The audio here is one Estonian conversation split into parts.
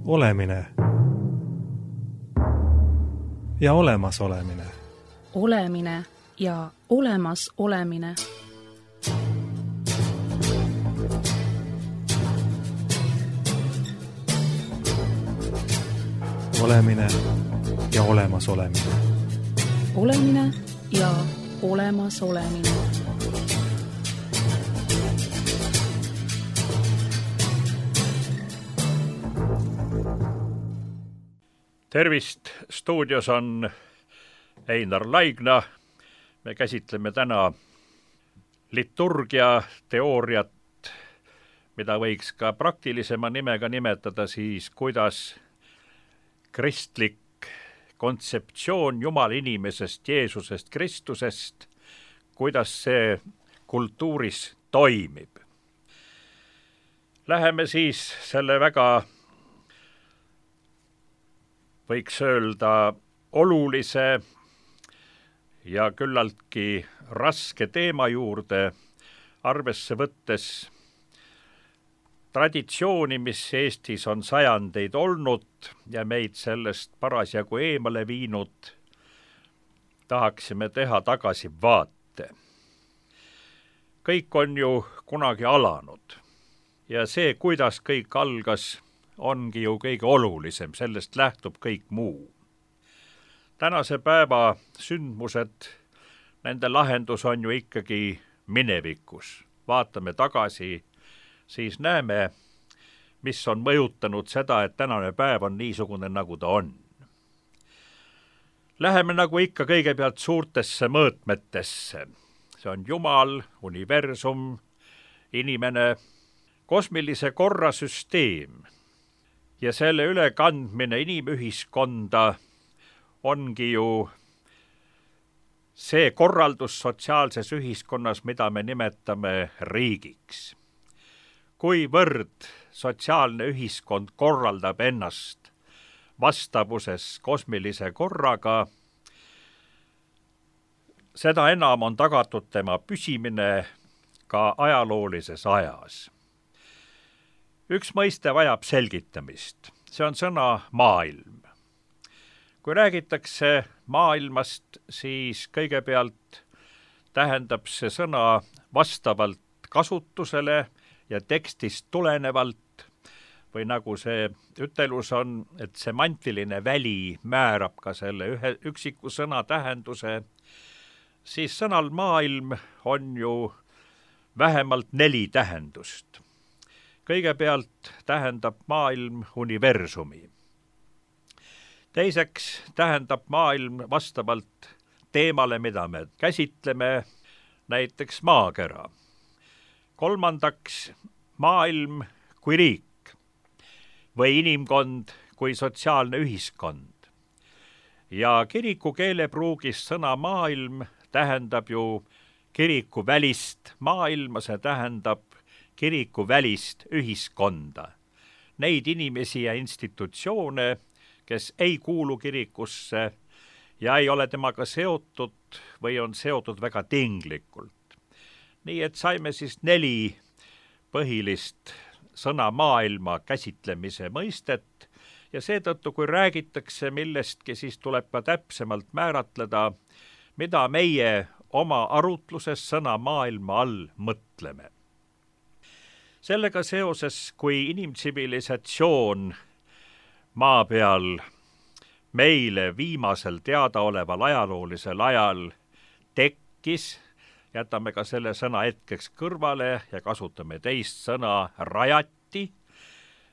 Olemine ja olemasolemine. Olemine ja olemas olemine. Olemine ja olemas olemine. Olemine ja olemas olemine. Tervist, stuudios on Einar Laigna. Me käsitleme täna liturgia teooriat, mida võiks ka praktilisema nimega nimetada siis, kuidas kristlik kontseptsioon Jumala inimesest, Jeesusest, Kristusest, kuidas see kultuuris toimib. Läheme siis selle väga, võiks öelda, olulise ja küllaltki raske teema juurde, arvesse võttes traditsiooni, mis Eestis on sajandeid olnud ja meid sellest parasjagu eemale viinud, tahaksime teha tagasivaate. Kõik on ju kunagi alanud ja see, kuidas kõik algas, ongi ju kõige olulisem, sellest lähtub kõik muu. Tänase päeva sündmused, nende lahendus on ju ikkagi minevikus. Vaatame tagasi, siis näeme, mis on mõjutanud seda, et tänane päev on niisugune, nagu ta on. Läheme nagu ikka kõigepealt suurtesse mõõtmetesse. See on Jumal, universum, inimene, kosmilise korra süsteem ja selle ülekandmine inimühiskonda ongi ju see korraldus sotsiaalses ühiskonnas, mida me nimetame riigiks. Kuivõrd sotsiaalne ühiskond korraldab ennast vastavuses kosmilise korraga, seda enam on tagatud tema püsimine ka ajaloolises ajas. Üks mõiste vajab selgitamist. See on sõna maailm. Kui räägitakse maailmast, siis kõigepealt tähendab see sõna vastavalt kasutusele ja tekstist tulenevalt, või nagu see ütelus on, et semantiline väli määrab ka selle ühe üksiku sõna tähenduse, siis sõnal maailm on ju vähemalt 4 tähendust. Kõigepealt tähendab maailm universumi. Teiseks tähendab maailm vastavalt teemale, mida me käsitleme, näiteks maakera. Kolmandaks maailm kui riik või inimkond kui sotsiaalne ühiskond. Ja kiriku keelepruugis sõna maailm tähendab ju kiriku välist maailma, see tähendab kiriku välist ühiskonda. Neid inimesi ja institutsioone, kes ei kuulu kirikusse ja ei ole temaga seotud või on seotud väga tinglikult. Nii et saime siis 4 põhilist sõna maailma käsitlemise mõistet ja seetõttu, kui räägitakse millestki, siis tuleb ka täpsemalt määratleda, mida meie oma arutluses sõna maailma all mõtleme. Sellega seoses, kui inimtsivilisatsioon maa peal meile viimasel teadaoleval ajaloolisel ajal tekkis, jätame ka selle sõna hetkeks kõrvale ja kasutame teist sõna rajati,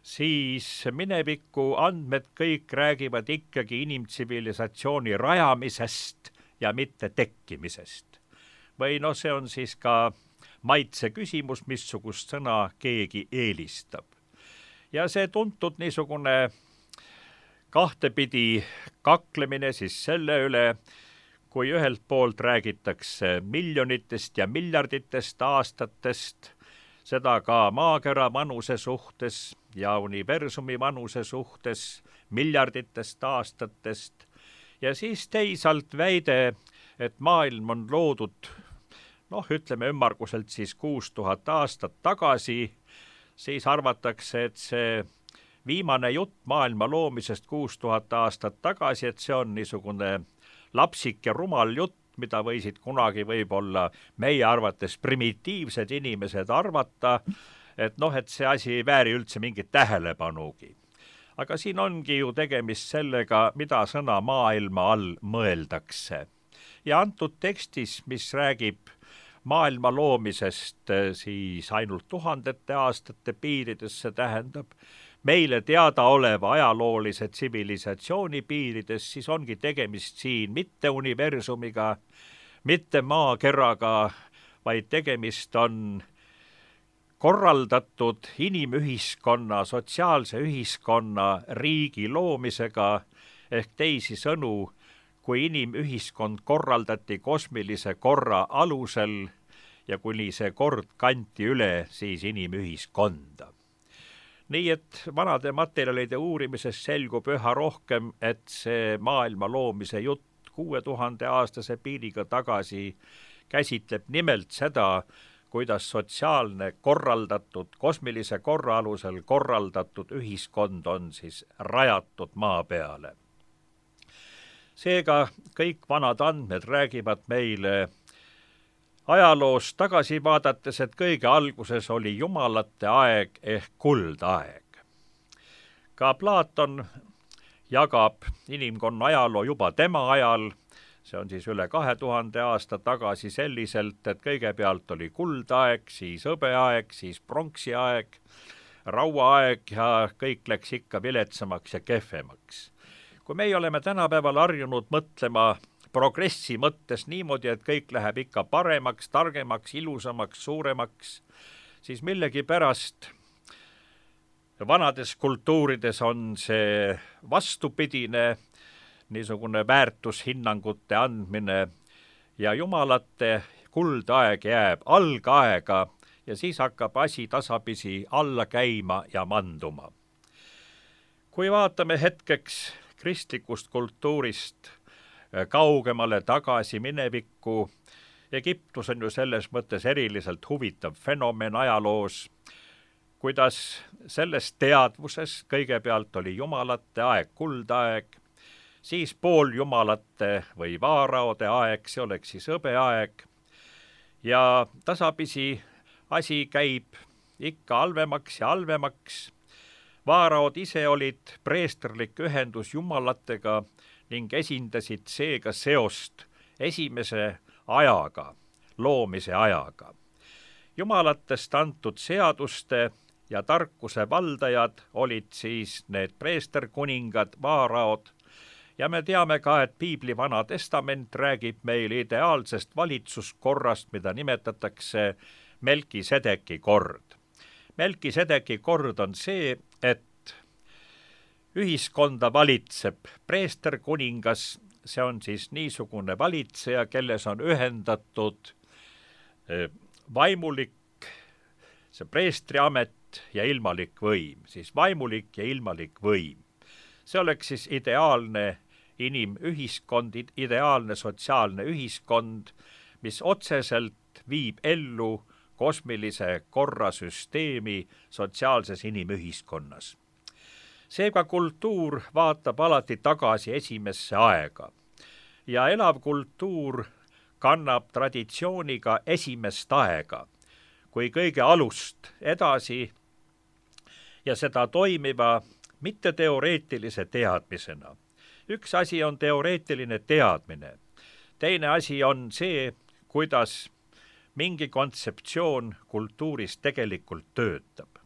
siis mineviku andmed kõik räägivad ikkagi inimtsivilisatsiooni rajamisest ja mitte tekkimisest. Või see on siis ka maitse küsimus, missugust sõna keegi eelistab. Ja see tuntud niisugune kahtepidi kaklemine siis selle üle, kui ühelt poolt räägitakse miljonitest ja miljarditest aastatest, seda ka maakera vanuse suhtes ja universumi vanuse suhtes miljarditest aastatest, ja siis teisalt väide, et maailm on loodud ütleme ümmarguselt siis 6000 aastat tagasi, siis arvatakse, et see viimane jutt maailma loomisest 6000 aastat tagasi, et see on niisugune lapsik ja rumal jutt, mida võisid kunagi võib-olla meie arvates primitiivsed inimesed arvata, et see asi ei vääri üldse mingit tähelepanugi. Aga siin ongi ju tegemist sellega, mida sõna maailma all mõeldakse. Ja antud tekstis, mis räägib maailma loomisest siis ainult tuhandete aastate piirides, see tähendab meile teadaoleva ajaloolise tsivilisatsiooni piirides, siis ongi tegemist siin mitte universumiga, mitte maakeraga, vaid tegemist on korraldatud inimühiskonna, sotsiaalse ühiskonna riigi loomisega, ehk teisisõnu, kui inimühiskond korraldati kosmilise korra alusel ja kuni see kord kanti üle siis inimühiskonda. Nii et vanade materjalide uurimises selgub üha rohkem, et see maailma loomise jutt 6000 aastase piiriga tagasi käsitleb nimelt seda, kuidas sotsiaalne korraldatud, kosmilise korra alusel korraldatud ühiskond on siis rajatud maa peale. Seega kõik vanad andmed räägivad meile ajaloos tagasi vaadates, et kõige alguses oli jumalate aeg ehk kuldaeg. Ka Platon jagab inimkonna ajaloo juba tema ajal, see on siis üle 2000 aasta tagasi selliselt, et kõigepealt oli kuldaeg, siis hõbeaeg, siis pronksiaeg, rauaaeg ja kõik läks ikka viletsamaks ja kehvemaks. Kui meie oleme tänapäeval harjunud mõtlema progressi mõttes niimoodi, et kõik läheb ikka paremaks, targemaks, ilusamaks, suuremaks, siis millegipärast vanades kultuurides on see vastupidine, niisugune väärtushinnangute andmine ja jumalate kuldaeg jääb algaega ja siis hakkab asi tasapisi alla käima ja manduma. Kui vaatame hetkeks kristlikust kultuurist kaugemale tagasi minevikku, Egiptus on ju selles mõttes eriliselt huvitav fenomen ajaloos, kuidas selles teadvuses kõigepealt oli jumalate aeg, kuldaeg, siis pooljumalate või vaaraode aeg, see oleks siis hõbeaeg, ja tasapisi asi käib ikka halvemaks ja halvemaks. Vaaraod ise olid preesterlik ühendus jumalatega ning esindasid seega seost esimese ajaga, loomise ajaga. Jumalatest antud seaduste ja tarkuse valdajad olid siis need preesterkuningad, vaaraod, ja me teame ka, et Piibli Vana Testament räägib meil ideaalsest valitsuskorrast, mida nimetatakse Melkisedeki kord. Melkisedeki kord on see, et ühiskonda valitseb preesterkuningas, see on siis niisugune valitseja, kelles on ühendatud vaimulik, see preestriamet ja ilmalik võim, siis vaimulik ja ilmalik võim. See oleks siis ideaalne inimühiskond, ideaalne sotsiaalne ühiskond, mis otseselt viib ellu kosmilise korrasüsteemi sotsiaalses inimühiskonnas. Seega kultuur vaatab alati tagasi esimesse aega ja elav kultuur kannab traditsiooniga esimest aega, kui kõige alust edasi ja seda toimiva mitte teoreetilise teadmisena. Üks asi on teoreetiline teadmine, teine asi on see, kuidas mingi kontseptsioon kultuuris tegelikult töötab.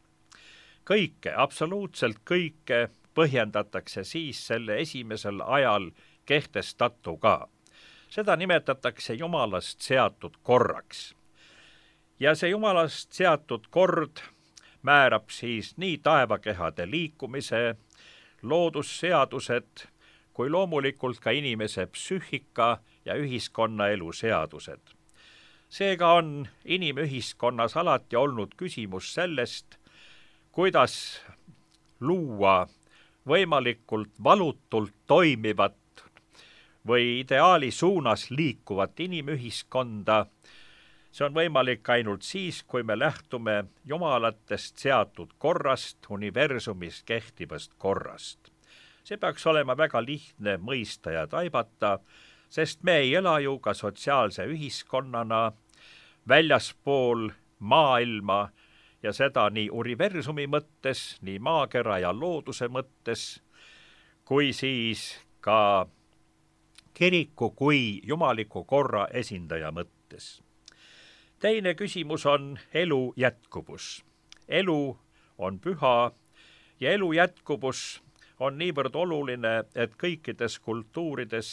Kõike, absoluutselt kõike põhjendatakse siis selle esimesel ajal kehtestatuga. Seda nimetatakse jumalast seatud korraks. Ja see jumalast seatud kord määrab siis nii taevakehade liikumise, loodusseadused, kui loomulikult ka inimese psüühika ja ühiskonnaelu seadused. Seega on inimühiskonnas alati olnud küsimus sellest, kuidas luua võimalikult valutult toimivat või ideaali suunas liikuvat inimühiskonda, See on võimalik ainult siis, kui me lähtume jumalatest seatud korrast, universumis kehtivast korrast. See peaks olema väga lihtne mõista ja taibata, sest me ei ela ju ka sotsiaalse ühiskonnana väljaspool maailma ja seda nii universumi mõttes, nii maakera ja looduse mõttes, kui siis ka kiriku kui jumaliku korra esindaja mõttes. Teine küsimus on elu jätkuvus. Elu on püha ja elu jätkuvus on niivõrd oluline, et kõikides kultuurides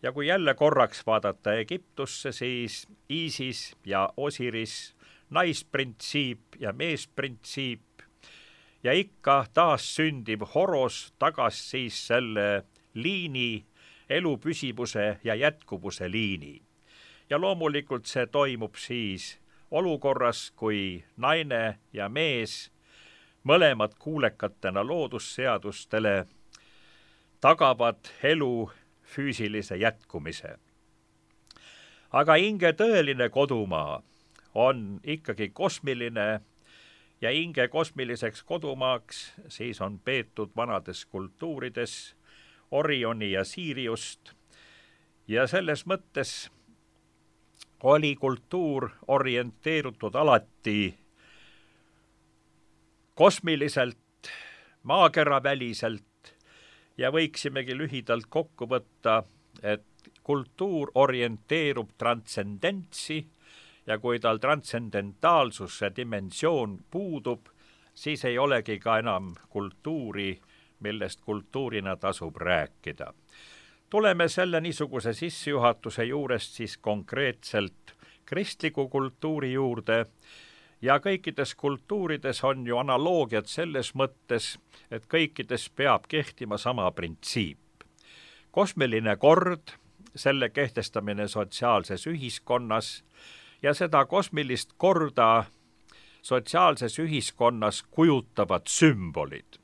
ja kui jälle korraks vaadata Egiptusse, siis Iisis ja Osiris, naisprintsiip ja meesprintsiip ja ikka taas sündiv Horos tagas siis selle liini, elu püsivuse ja jätkuvuse liini. Ja loomulikult see toimub siis olukorras, kui naine ja mees mõlemad kuulekatena loodusseadustele tagavad elu füüsilise jätkumise. Aga hinge tõeline kodumaa on ikkagi kosmiline ja hinge kosmiliseks kodumaaks siis on peetud vanades kultuurides Orioni ja Siriust ja selles mõttes oli kultuur orienteerutud alati kosmiliselt, maakeraväliselt ja võiksimegi lühidalt kokku võtta, et kultuur orienteerub transcendentsi ja kui tal transcendentaalsuse dimensioon puudub, siis ei olegi ka enam kultuuri, millest kultuurina tasub rääkida. Tuleme selle niisuguse sissejuhatuse juurest siis konkreetselt kristliku kultuuri juurde ja kõikides kultuurides on ju analoogiad selles mõttes, et kõikides peab kehtima sama printsiip. Kosmiline kord, selle kehtestamine sotsiaalses ühiskonnas ja seda kosmilist korda sotsiaalses ühiskonnas kujutavad sümbolid.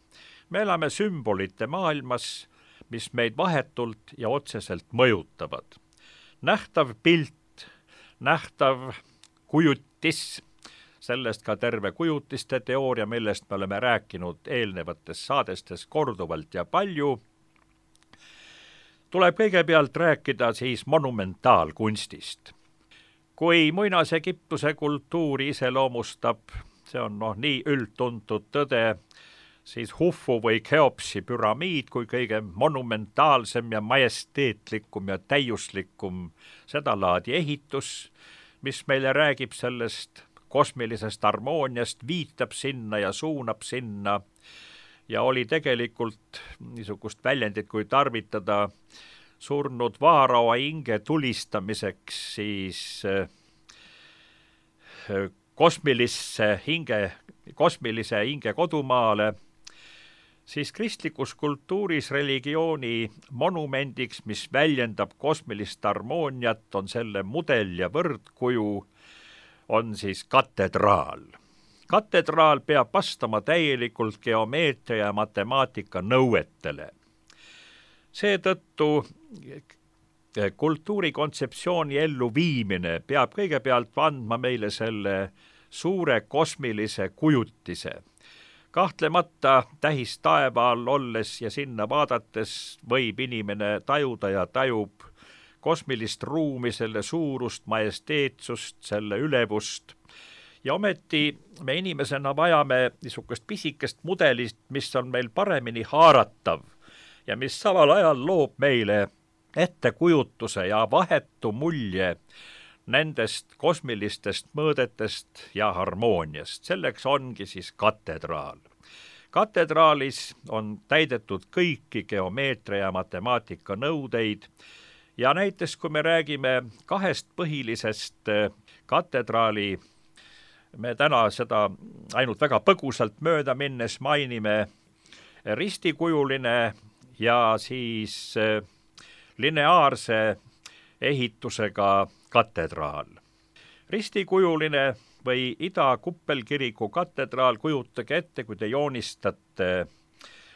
Me elame sümbolite maailmas, mis meid vahetult ja otseselt mõjutavad. Nähtav pilt, nähtav kujutis, sellest ka terve kujutiste teooria, millest me oleme rääkinud eelnevates saadestes korduvalt ja palju, tuleb kõigepealt rääkida siis monumentaalkunstist. Kui muinas-Egiptuse kultuuri iseloomustab, see on nii üldtuntud tõde, siis Hufu või Keopsi püramiid kui kõige monumentaalsem ja majesteetlikum ja täiuslikum sedalaadi ehitus, mis meile räägib sellest kosmilisest harmooniast, viitab sinna ja suunab sinna ja oli tegelikult niisugust väljendit, kui tarvitada surnud vaaraoa hinge tulistamiseks siis kosmilise hinge kodumaale, siis kristlikus kultuuris religiooni monumendiks, mis väljendab kosmilist harmooniat, on selle mudel ja võrdkuju, on siis katedraal. Katedraal peab vastama täielikult geomeetria ja matemaatika nõuetele. Seetõttu kultuurikontseptsiooni elluviimine peab kõigepealt andma meile selle suure kosmilise kujutise. Kahtlemata tähistaeva all olles ja sinna vaadates võib inimene tajuda ja tajub kosmilist ruumi, selle suurust, majesteetsust, selle ülevust. Ja ometi me inimesena vajame niisugust pisikest mudelist, mis on meil paremini haaratav ja mis samal ajal loob meile ettekujutuse ja vahetu mulje nendest kosmilistest mõõdetest ja harmooniast. Selleks ongi siis katedraal. Katedraalis on täidetud kõiki geomeetria ja matemaatika nõudeid ja näiteks kui me räägime kahest põhilisest katedraali, me täna seda ainult väga põgusalt mööda minnes mainime ristikujuline ja siis lineaarse ehitusega katedraal. Ristikujuline või Ida kuppelkiriku katedraal, kujutage ette, kui te joonistate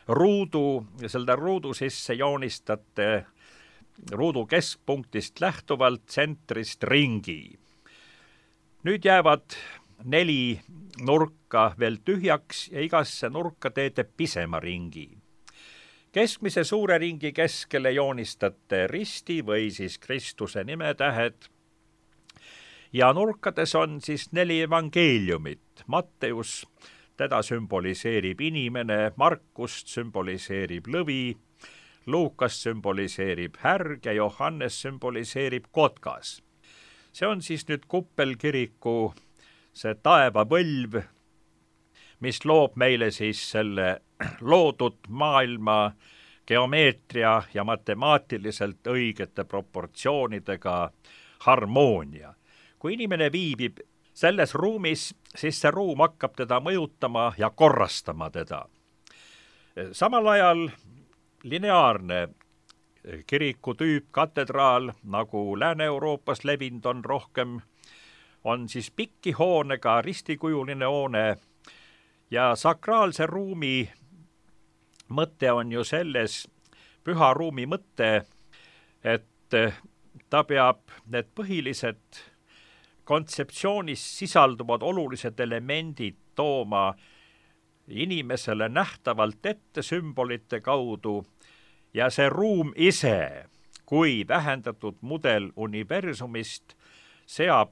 ruudu ja selle ruudu sisse joonistate ruudu keskpunktist lähtuvalt tsentrist ringi. Nüüd jäävad 4 nurka veel tühjaks ja igasse nurka teete pisema ringi. Keskmise suure ringi keskele joonistate risti või siis Kristuse nimetähed ja nurkades on siis 4 evangeeliumit. Matteus, teda sümboliseerib inimene, Markust sümboliseerib lõvi, Luukas sümboliseerib härg ja Johannes sümboliseerib kotkas. See on siis nüüd kuppelkiriku see taevavõlv, mis loob meile siis selle loodud maailma geomeetria ja matemaatiliselt õigete proportsioonidega harmoonia. Kui inimene viibib selles ruumis, siis see ruum hakkab teda mõjutama ja korrastama teda. Samal ajal lineaarne kirikutüüp, katedraal, nagu Lääne-Euroopas levinud on rohkem, on siis piki hoonega ristikujuline hoone ja sakraalse ruumi mõte on ju selles, püha ruumi mõte, et ta peab need põhilised kontseptsioonis sisalduvad olulised elemendid tooma inimesele nähtavalt ette sümbolite kaudu ja see ruum ise, kui vähendatud mudel universumist,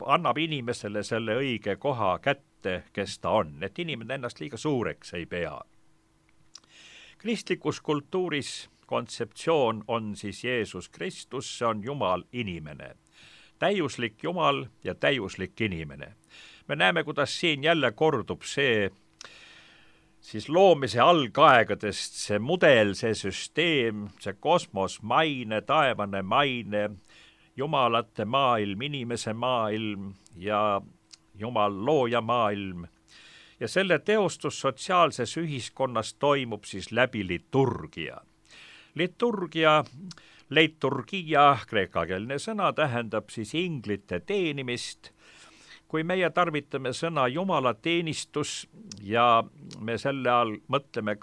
annab inimesele selle õige koha kätte, kes ta on, et inimene ennast liiga suureks ei pea. Kristlikus kultuuris kontseptsioon on siis Jeesus Kristus, see on Jumal inimene. Täiuslik Jumal ja täiuslik inimene. Me näeme, kuidas siin jälle kordub see siis loomise algaegadest, see mudel, see süsteem, see kosmos, maine, taevane maine, jumalate maailm, inimese maailm ja Jumal looja maailm. Ja selle teostus sotsiaalses ühiskonnas toimub siis läbi liturgia. Liturgia, kreekakeelne sõna, tähendab siis inglite teenimist. Kui meie tarvitame sõna jumalateenistus ja me selle all mõtleme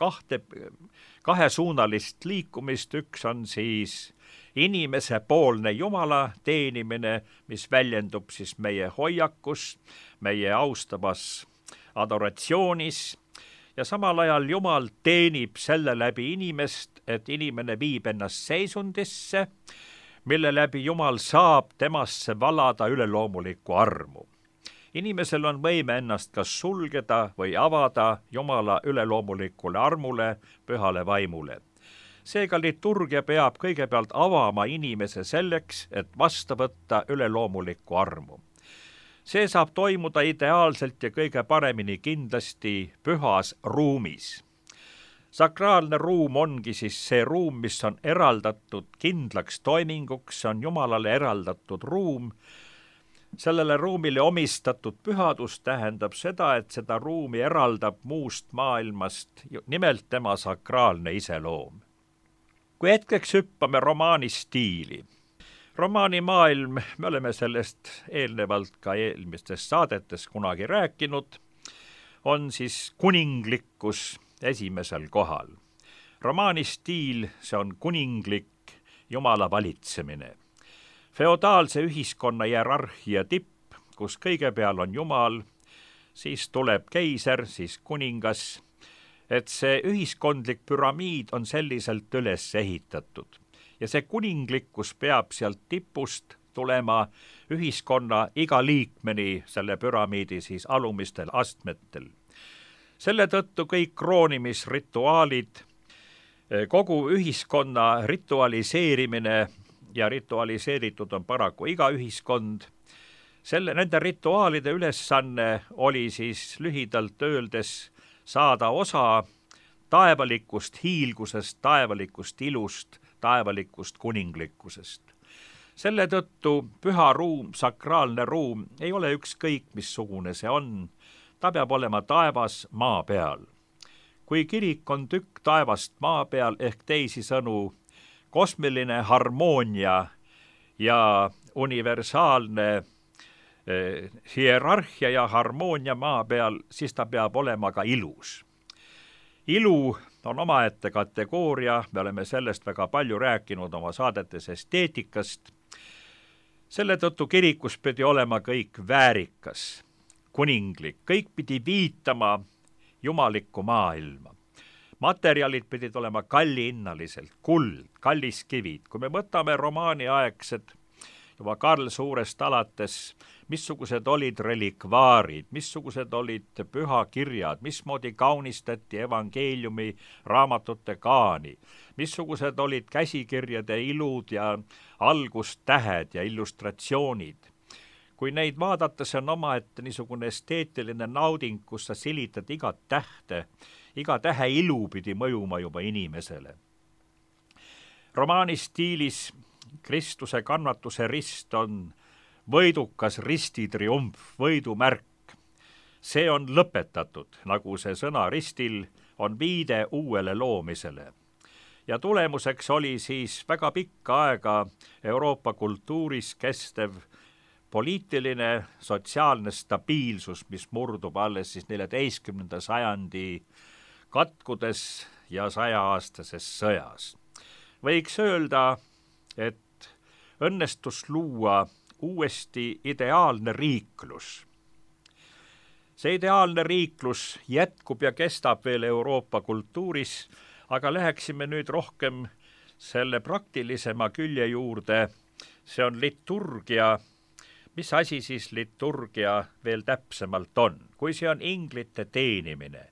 kahesuunalist liikumist, üks on siis inimese poolne Jumala teenimine, mis väljendub siis meie hoiakus, meie austavas adoratsioonis ja samal ajal Jumal teenib selle läbi inimest, et inimene viib ennast seisundisse, mille läbi Jumal saab temasse valada üleloomulikku armu. Inimesel on võime ennast kas sulgeda või avada Jumala üleloomulikule armule, pühale vaimule. Seega liturgia peab kõigepealt avama inimese selleks, et vastu võtta üleloomulikku armu. See saab toimuda ideaalselt ja kõige paremini kindlasti pühas ruumis. Sakraalne ruum ongi siis see ruum, mis on eraldatud kindlaks toiminguks, see on Jumalale eraldatud ruum. Sellele ruumile omistatud pühadus tähendab seda, et seda ruumi eraldab muust maailmast, nimelt tema sakraalne iseloom. Kui hetkeks hüppame romaani stiili. Romaani maailm, me oleme sellest eelnevalt ka eelmistes saadetes kunagi rääkinud, on siis kuninglikkus esimesel kohal. Romaani stiil, see on kuninglik Jumala valitsemine. Feodaalse ühiskonna hierarhia tipp, kus kõige peal on Jumal, siis tuleb keiser, siis kuningas, et see ühiskondlik püramiid on selliselt üles ehitatud. Ja see kuninglikkus peab sealt tipust tulema ühiskonna iga liikmeni selle püramiidi siis alumistel astmetel. Selle tõttu kõik kroonimisrituaalid, kogu ühiskonna ritualiseerimine ja ritualiseeritud on paraku iga ühiskond. Nende rituaalide ülesanne oli siis lühidalt öeldes saada osa taevalikust hiilgusest, taevalikust ilust, taevalikust kuninglikkusest. Selle tõttu püha ruum, sakraalne ruum ei ole ükskõik missugune see on, ta peab olema taevas maa peal. Kui kirik on tükk taevast maa peal ehk teisisõnu kosmiline harmoonia ja universaalne hierarhia ja harmoonia maa peal, siis ta peab olema ka ilus. Ilu on omaette kategooria, me oleme sellest väga palju rääkinud oma saadetes esteetikast. selle tõttu kirikus pidi olema kõik väärikas, kuninglik, kõik pidi viitama jumalikku maailma. Materjalid pidid olema kallihinnaliselt, kuld, kalliskivid. Kui me võtame romaaniaegsed, juba Karl Suurest alates, missugused olid relikvaarid, missugused olid pühakirjad, mismoodi kaunistati evangeeliumi raamatute kaani, missugused olid käsikirjade ilud ja algustähed ja illustratsioonid. Kui neid vaadata, see on omaette niisugune esteetiline nauding, kus sa silitad igat tähte, iga tähe ilu pidi mõjuma juba inimesele. Romaani stiilis Kristuse kannatuse rist on võidukas ristitriumf, võidumärk. See on lõpetatud, nagu see sõna ristil on viide uuele loomisele. Ja tulemuseks oli siis väga pikka aega Euroopa kultuuris kestev poliitiline, sotsiaalne stabiilsus, mis murdub alles siis 14. sajandi katkudes ja 100-aastases sõjas. Võiks öelda, et õnnestus luua uuesti ideaalne riiklus. See ideaalne riiklus jätkub ja kestab veel Euroopa kultuuris, aga läheksime nüüd rohkem selle praktilisema külje juurde. See on liturgia. Mis asi siis liturgia veel täpsemalt on? Kui see on inglite teenimine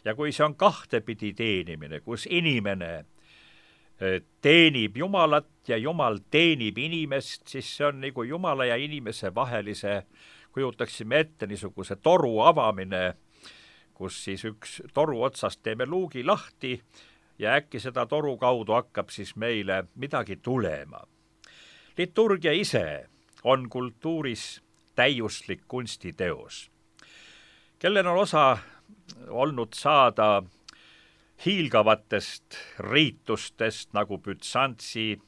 ja kui see on kahtepidi teenimine, kus inimene teenib Jumalat ja Jumal teenib inimest, siis see on nagu Jumala ja inimese vahelise, kujutaksime ette niisuguse toru avamine, kus siis üks toru otsast teeme luugi lahti ja äkki seda toru kaudu hakkab siis meile midagi tulema. Liturgia ise on kultuuris täiuslik kunstiteos. Kellel on osa olnud saada hiilgavatest riitustest nagu Bütsantsi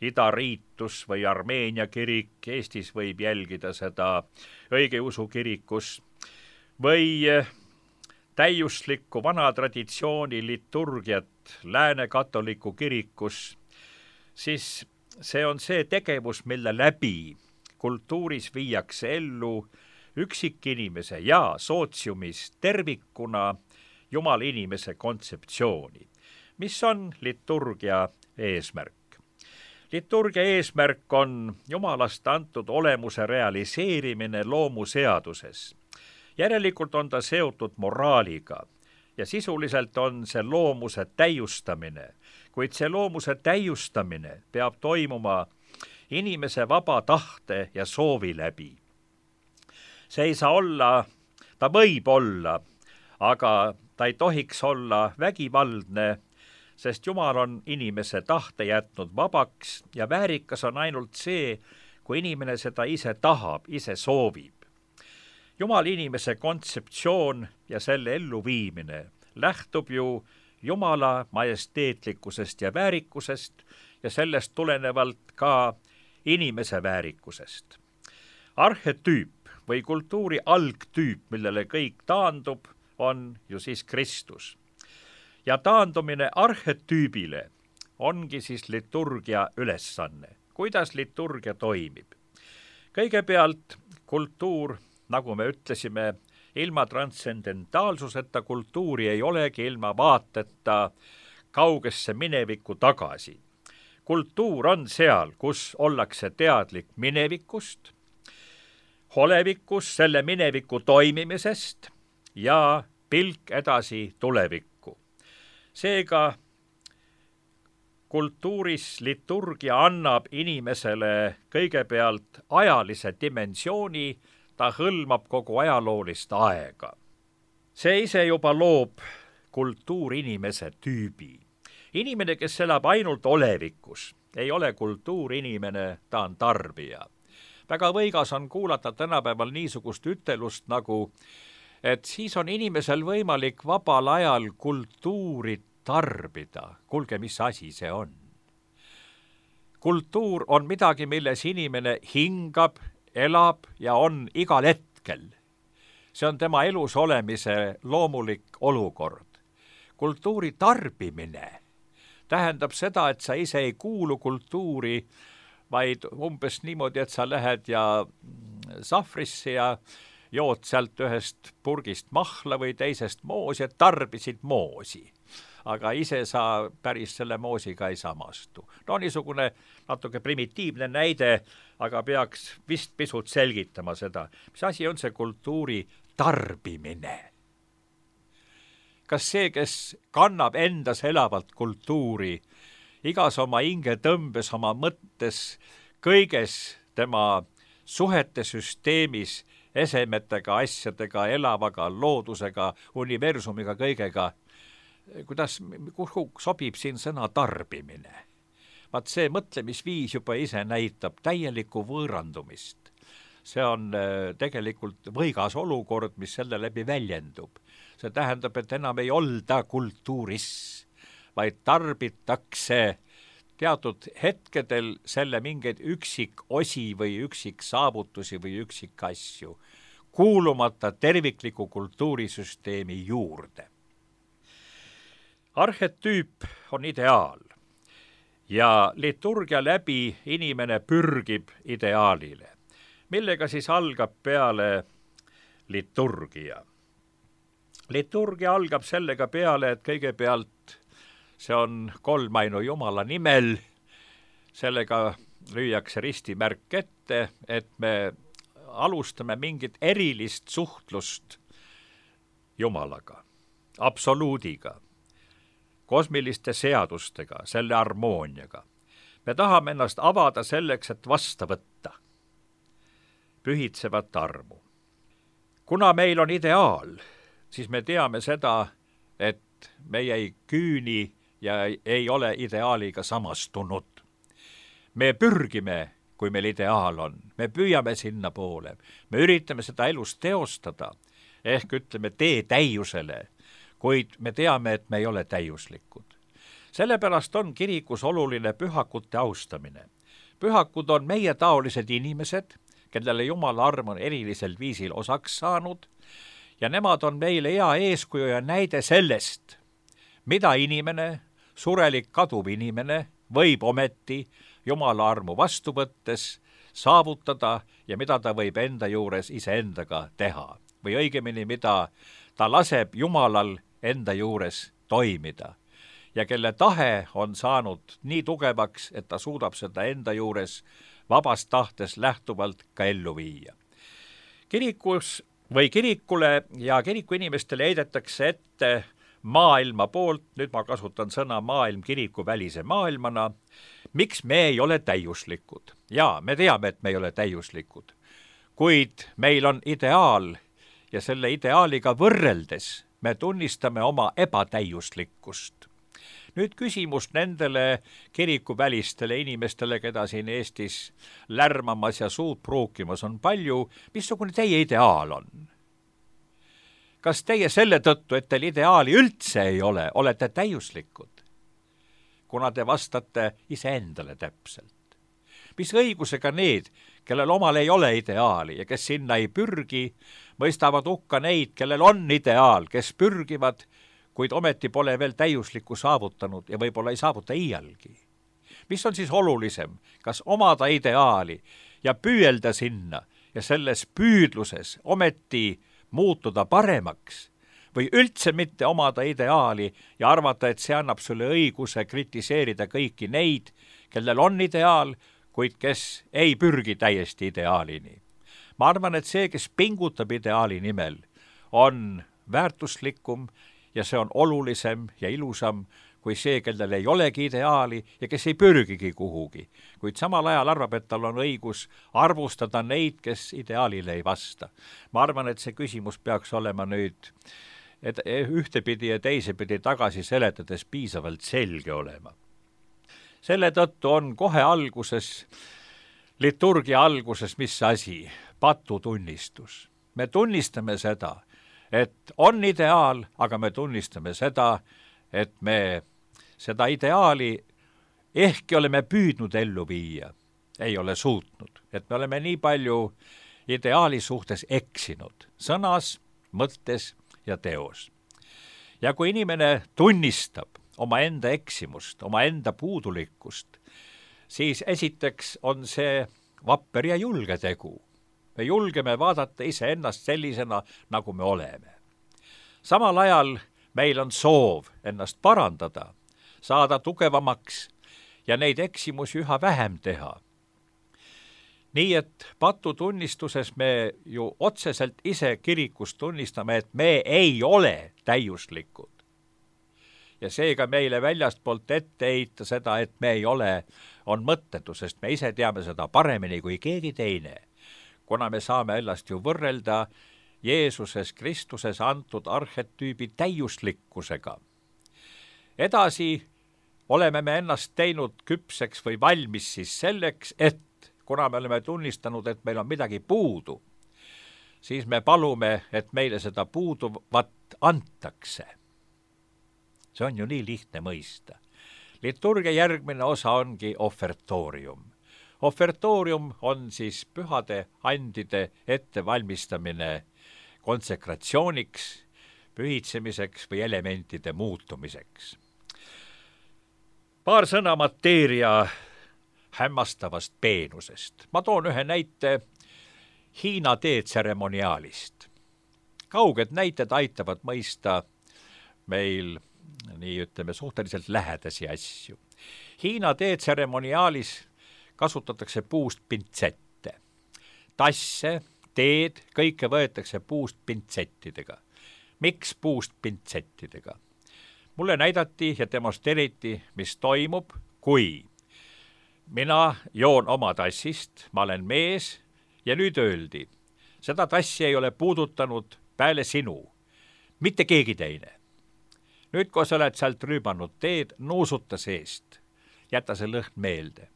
idariitus või Armeenia kirik, Eestis võib jälgida seda õigeusu kirikus, või täiuslikku vana traditsiooni liturgiat lääne katoliku kirikus, siis see on see tegevus, mille läbi kultuuris viiakse ellu üksikinimese ja sootsiumis tervikuna Jumala inimese kontseptsiooni. Mis on liturgia eesmärk? Liturgia eesmärk on Jumalast antud olemuse realiseerimine loomuseaduses. Järelikult on ta seotud moraaliga ja sisuliselt on see loomuse täiustamine, kuid see loomuse täiustamine peab toimuma inimese vaba tahte ja soovi läbi. See ei saa olla, ta võib olla, aga ta ei tohiks olla vägivaldne, sest Jumal on inimese tahte jätnud vabaks ja väärikas on ainult see, kui inimene seda ise tahab, ise soovib. Jumal inimese kontseptsioon ja selle elluviimine lähtub ju Jumala majesteetlikkusest ja väärikusest ja sellest tulenevalt ka inimese väärikusest. Arhetüüp või kultuuri algtüüp, millele kõik taandub, on ju siis Kristus. Ja taandumine arhetüübile ongi siis liturgia ülesanne. Kuidas liturgia toimib? Kõigepealt kultuur, nagu me ütlesime, ilma transcendentaalsuseta kultuuri ei olegi ilma vaateta kaugesse minevikku tagasi. Kultuur on seal, kus ollakse teadlik minevikust, olevikus selle mineviku toimimisest ja pilk edasi tulevikku. Seega kultuuris liturgia annab inimesele kõigepealt ajalise dimensiooni, ta hõlmab kogu ajaloolist aega. See ise juba loob kultuurinimese tüübi. Inimene, kes elab ainult olevikus, ei ole kultuurinimene, ta on tarbija. Väga võigas on kuulata tänapäeval niisugust ütelust nagu, et siis on inimesel võimalik vabal ajal kultuuri tarbida. Kuulge, mis asi see on? Kultuur on midagi, milles inimene hingab, elab ja on igal hetkel. See on tema elus olemise loomulik olukord. Kultuuri tarbimine tähendab seda, et sa ise ei kuulu kultuuri, vaid umbes niimoodi, et sa lähed ja sahvrisse ja jood sealt ühest purgist mahla või teisest moosi, et tarbisid moosi. Aga ise sa päris selle moosiga ei samastu. No niisugune natuke primitiivne näide, aga peaks vist pisut selgitama seda, mis asi on see kultuuri tarbimine. Kas see, kes kannab endas elavalt kultuuri, igas oma hingetõmbes, oma mõttes, kõiges tema suhete süsteemis, esemetega, asjadega, elavaga, loodusega, universumiga, kõigega, kuhu sobib siin sõna tarbimine? Vaat see mõtlemisviis juba ise näitab täielikku võõrandumist. See on tegelikult võigas olukord, mis selle läbi väljendub. See tähendab, et enam ei olda kultuuris, vaid tarbitakse teatud hetkedel selle mingeid üksikosi või üksiksaavutusi või üksikasju, kuulumata tervikliku kultuurisüsteemi juurde. Arhetüüp on ideaal ja liturgia läbi inimene pürgib ideaalile, millega siis algab peale liturgia. Liturgia algab sellega peale, et kõigepealt see on kolmainu Jumala nimel, sellega lüüakse ristimärk ette, et me alustame mingit erilist suhtlust Jumalaga, absoluudiga, kosmiliste seadustega, selle harmooniaga. Me tahame ennast avada selleks, et vasta võtta pühitsevat armu. Kuna meil on ideaal, siis me teame seda, et meie ei küüni ja ei ole ideaaliga samastunud. Me pürgime, kui meil ideaal on, me püüame sinna poole, me üritame seda elus teostada, ehk ütleme tee täiusele, kuid me teame, et me ei ole täiuslikud. Sellepärast on kirikus oluline pühakute austamine. Pühakud on meie taolised inimesed, kellele Jumala arm on erilisel viisil osaks saanud, ja nemad on meile hea eeskuju ja näide sellest, mida inimene, surelik kaduv inimene, võib ometi Jumala armu vastu võttes saavutada ja mida ta võib enda juures iseendaga teha. Või õigemini, mida ta laseb Jumalal enda juures toimida ja kelle tahe on saanud nii tugevaks, et ta suudab seda enda juures vabast tahtes lähtuvalt ka ellu viia. Kirikus või kirikule ja kiriku inimestele heidetakse ette maailma poolt, nüüd ma kasutan sõna maailm kiriku välise maailmana, miks me ei ole täiuslikud. Jaa, me teame, et me ei ole täiuslikud, kuid meil on ideaal ja selle ideaaliga võrreldes me tunnistame oma ebatäiuslikkust. Nüüd küsimus nendele kirikuvälistele inimestele, keda siin Eestis lärmamas ja suud pruukimas on palju, missugune teie ideaal on? Kas teie selle tõttu, et teil ideaali üldse ei ole, olete täiuslikud? Kuna te vastate iseendale täpselt. Mis õigusega need, kellel omal ei ole ideaali ja kes sinna ei pürgi, mõistavad hukka neid, kellel on ideaal, kes pürgivad, kuid ometi pole veel täiuslikku saavutanud ja võib-olla ei saavuta iialgi. Mis on siis olulisem, kas omada ideaali ja püüelda sinna ja selles püüdluses ometi muutuda paremaks või üldse mitte omada ideaali ja arvata, et see annab sulle õiguse kritiseerida kõiki neid, kellel on ideaal, kuid kes ei pürgi täiesti ideaalini. Ma arvan, et see, kes pingutab ideaali nimel, on väärtuslikum ja see on olulisem ja ilusam kui see, kellel ei olegi ideaali ja kes ei pürgigi kuhugi, kuid samal ajal arvab, et tal on õigus arvustada neid, kes ideaalile ei vasta. Ma arvan, et see küsimus peaks olema nüüd ühtepidi ja teisepidi tagasi seletades piisavalt selge olema. Selle tõttu on kohe alguses, liturgia alguses, mis asi? Patutunnistus. Me tunnistame seda, et on ideaal, aga me tunnistame seda, et me seda ideaali ehkki oleme püüdnud ellu viia, ei ole suutnud. Et me oleme nii palju ideaali suhtes eksinud, sõnas, mõttes ja teos. Ja kui inimene tunnistab oma enda eksimust, oma enda puudulikkust, siis esiteks on see vapper ja julge tegu. Me julgeme vaadata iseennast sellisena, nagu me oleme. Samal ajal meil on soov ennast parandada, saada tugevamaks ja neid eksimusi üha vähem teha. Nii et patutunnistuses me ju otseselt ise kirikus tunnistame, et me ei ole täiuslikud. Ja seega meile väljastpoolt ette heita seda, et me ei ole, on mõttetu, sest me ise teame seda paremini kui keegi teine, kuna me saame ennast ju võrrelda Jeesuses Kristuses antud arhetüübi täiuslikkusega. Edasi oleme me ennast teinud küpseks või valmis siis selleks, et kuna me oleme tunnistanud, et meil on midagi puudu, siis me palume, et meile seda puuduvat antakse. See on ju nii lihtne mõista. Liturgia järgmine osa ongi ofertorium. Ofertorium on siis pühade andide ettevalmistamine konsekratsiooniks, pühitsemiseks või elementide muutumiseks. Paar sõna mateeria hämmastavast peenusest. Ma toon ühe näite Hiina teetseremoniaalist. Kauged näited aitavad mõista meil nii ütleme suhteliselt lähedasi asju. Hiina teetseremoniaalis kasutatakse puust pintsette. Tasse, teed, kõike võetakse puust pintsettidega. Miks puust pintsettidega? Mulle näidati ja demonstreeriti, mis toimub, kui mina joon oma tassist, ma olen mees ja nüüd öeldi, seda tassi ei ole puudutanud peale sinu, mitte keegi teine. Nüüd, kui sa oled sealt rüübanud teed, nuusuta seest, jäta see lõhn meelde.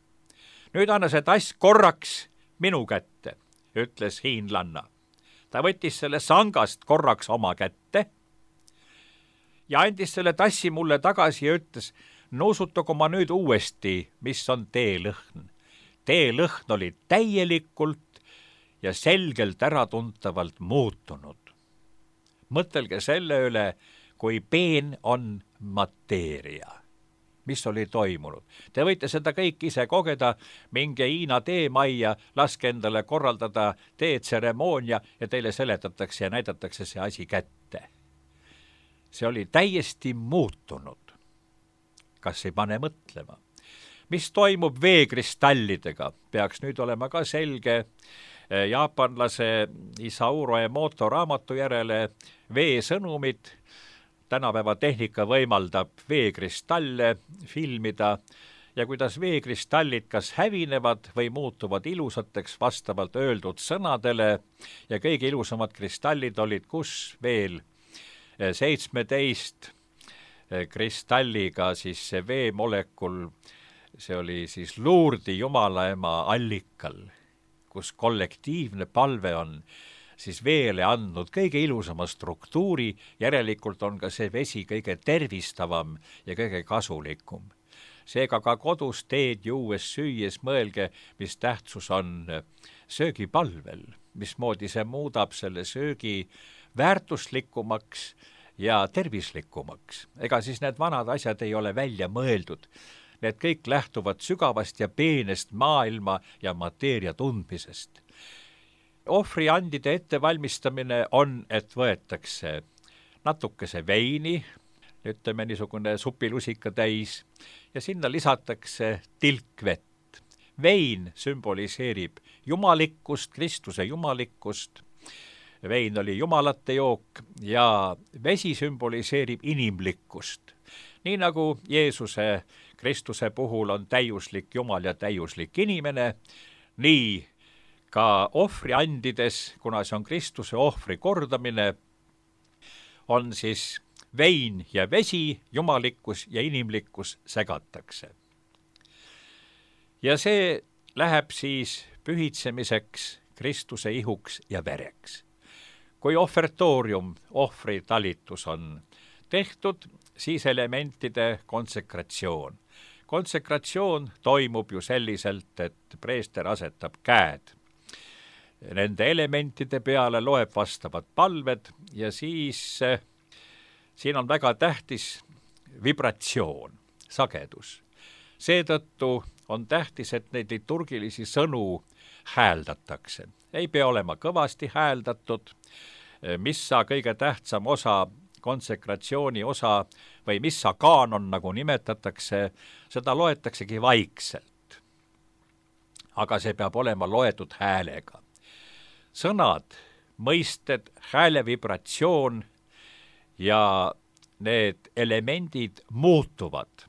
Nüüd anna see tass korraks minu kätte, ütles hiinlanna. Ta võttis selle sangast korraks oma kätte ja andis selle tassi mulle tagasi ja ütles, nuusutagu ma nüüd uuesti, mis on teelõhn. Teelõhn oli täielikult ja selgelt äratuntavalt muutunud. Mõtelge selle üle, kui peen on mateeria. Mis oli toimunud? Te võite seda kõik ise kogeda, minge Hiina teemajja, laske endale korraldada teetseremoonia ja teile seletatakse ja näidatakse see asi kätte. See oli täiesti muutunud. Kas ei pane mõtlema? Mis toimub veekristallidega? Peaks nüüd olema ka selge jaapanlase Isauro Emoto raamatu järele veesõnumid. Tänapäeva tehnika võimaldab veekristalle filmida ja kuidas veekristallid kas hävinevad või muutuvad ilusateks vastavalt öeldud sõnadele ja kõige ilusamad kristallid olid kus veel 17 kristalliga, siis see veemolekul, see oli siis Lourdi jumalaema allikal, kus kollektiivne palve on siis veele andnud kõige ilusama struktuuri, järelikult on ka see vesi kõige tervistavam ja kõige kasulikum. Seega ka kodus teed juues süües mõelge, mis tähtsus on söögipalvel, mismoodi see muudab selle söögi väärtuslikumaks ja tervislikumaks. Ega siis need vanad asjad ei ole välja mõeldud. Need kõik lähtuvad sügavast ja peenest maailma ja mateeria tundmisest. Ohvriandide ettevalmistamine on, et võetakse natukese veini, ütleme niisugune supilusika täis, ja sinna lisatakse tilkvett. Vein sümboliseerib jumalikkust, Kristuse jumalikkust. Vein oli jumalate jook ja vesi sümboliseerib inimlikkust. Nii nagu Jeesuse Kristuse puhul on täiuslik Jumal ja täiuslik inimene, nii ka ohvriandides, kuna see on Kristuse ohvri kordamine, on siis vein ja vesi, jumalikkus ja inimlikkus segatakse. Ja see läheb siis pühitsemiseks Kristuse ihuks ja vereks. Kui ofertorium, ohvritalitus on tehtud, siis elementide konsekratsioon. Konsekratsioon toimub ju selliselt, et preester asetab käed nende elementide peale, loeb vastavad palved ja siis siin on väga tähtis vibratsioon, sagedus. Seetõttu on tähtis, et neid liturgilisi sõnu hääldatakse. Ei pea olema kõvasti hääldatud, missa kõige tähtsam osa, konsekratsiooni osa või missa kaanon, nagu nimetatakse, seda loetaksegi vaikselt. Aga see peab olema loetud häälega. Sõnad, mõisted, hääle vibratsioon ja need elemendid muutuvad